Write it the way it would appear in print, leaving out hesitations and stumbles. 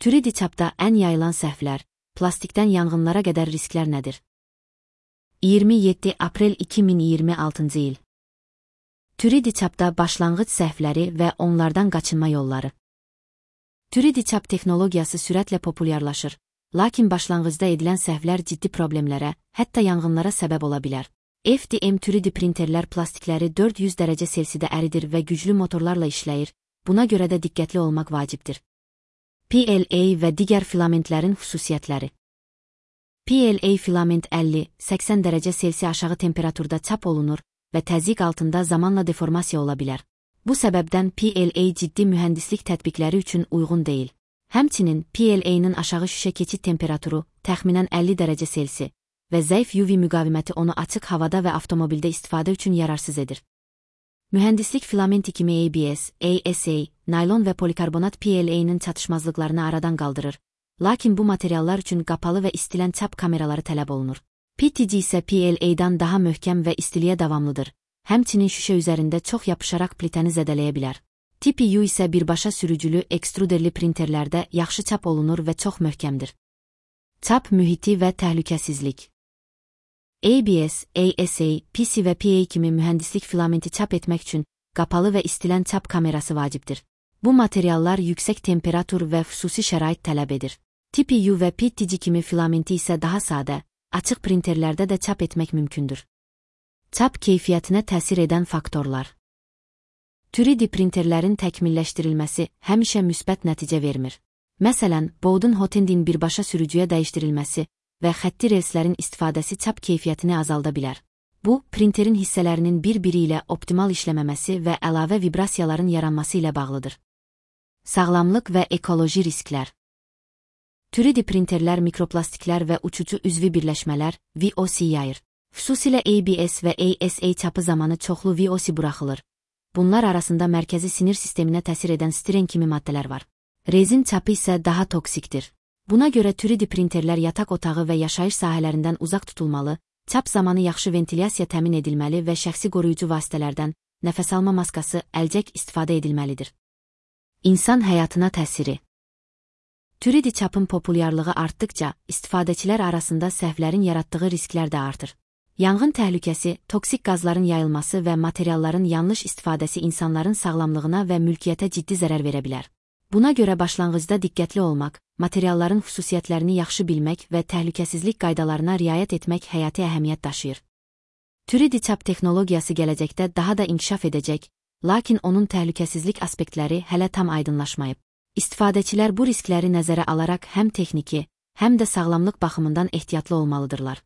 3D çapda ən yayılan səhvlər, plastikdən yanğınlara qədər risklər nədir? 27 aprel 2026 il. 3D çapda başlanğıc səhvləri və onlardan qaçınma yolları. 3D çap texnologiyası sürətlə populyarlaşır, lakin başlanğıcda edilən səhvlər ciddi problemlərə, hətta yanğınlara səbəb ola bilər. FDM 3D printerlər plastikləri 400 dərəcə Selsidə əridir və güclü motorlarla işləyir, buna görə də diqqətli olmaq vacibdir. PLA və digər filamentlərin xüsusiyyətləri. PLA filament 50-80 dərəcə Selsi aşağı temperaturda çap olunur və təzyiq altında zamanla deformasiya ola bilər. Bu səbəbdən PLA ciddi mühəndislik tətbiqləri üçün uyğun deyil. Həmçinin PLA-nın aşağı şüşə keçid temperaturu təxminən 50 dərəcə Selsi və zəif UV müqaviməti onu açıq havada və avtomobildə istifadə üçün yararsız edir. Mühəndislik filamenti kimi ABS, ASA, naylon və polikarbonat PLA-nın çatışmazlıqlarını aradan qaldırır, lakin bu materiallar üçün qapalı və istilən çap kameraları tələb olunur. PTG isə PLA-dan daha möhkəm və istiliyə davamlıdır, həmçinin şüşə üzərində çox yapışaraq plitəni zədələyə bilər. TPU isə birbaşa sürücülü ekstruderli printerlərdə yaxşı çap olunur və çox möhkəmdir. Çap mühiti və təhlükəsizlik. ABS, ASA, PC və PA kimi mühəndislik filamenti çap etmək üçün qapalı və istilən çap kamerası vacibdir. Bu materiallar yüksək temperatur və xüsusi şərait tələb edir. TPU və PTG kimi filamenti isə daha sadə, açıq printerlərdə də çap etmək mümkündür. Çap keyfiyyətinə təsir edən faktorlar. 3D printerlərin təkmilləşdirilməsi həmişə müsbət nəticə vermir. Məsələn, Bowden Hotendin birbaşa sürücüyə dəyişdirilməsi və xətti relslərin istifadəsi çap keyfiyyətini azalda bilər. Bu, printerin hissələrinin bir-biri ilə optimal işləməməsi və əlavə vibrasiyaların yaranması ilə bağlıdır. Sağlamlıq və ekoloji risklər. 3D printerlər mikroplastiklər və uçucu üzvi birləşmələr, VOC yayır. Xüsusilə ABS və ASA çapı zamanı çoxlu VOC buraxılır. Bunlar arasında mərkəzi sinir sisteminə təsir edən stiren kimi maddələr var. Rezin çapı isə daha toksikdir. Buna görə 3D printerlər yataq otağı və yaşayış sahələrindən uzaq tutulmalı, çap zamanı yaxşı ventilyasiya təmin edilməli və şəxsi qoruyucu vasitələrdən, nəfəs alma maskası, əlcək istifadə edilməlidir. İnsan həyatına təsiri. 3D çapın populyarlığı artdıqca, istifadəçilər arasında səhvlərin yaratdığı risklər də artır. Yanğın təhlükəsi, toksik qazların yayılması və materialların yanlış istifadəsi insanların sağlamlığına və mülkiyyətə ciddi zərər verə bilər. Buna görə başlanğıcda diqqətli olmaq, materialların xüsusiyyətlərini yaxşı bilmək və təhlükəsizlik qaydalarına riayət etmək həyati əhəmiyyət daşıyır. 3D çap texnologiyası gələcəkdə daha da inkişaf edəcək, lakin onun təhlükəsizlik aspektləri hələ tam aydınlaşmayıb. İstifadəçilər bu riskləri nəzərə alaraq həm texniki, həm də sağlamlıq baxımından ehtiyatlı olmalıdırlar.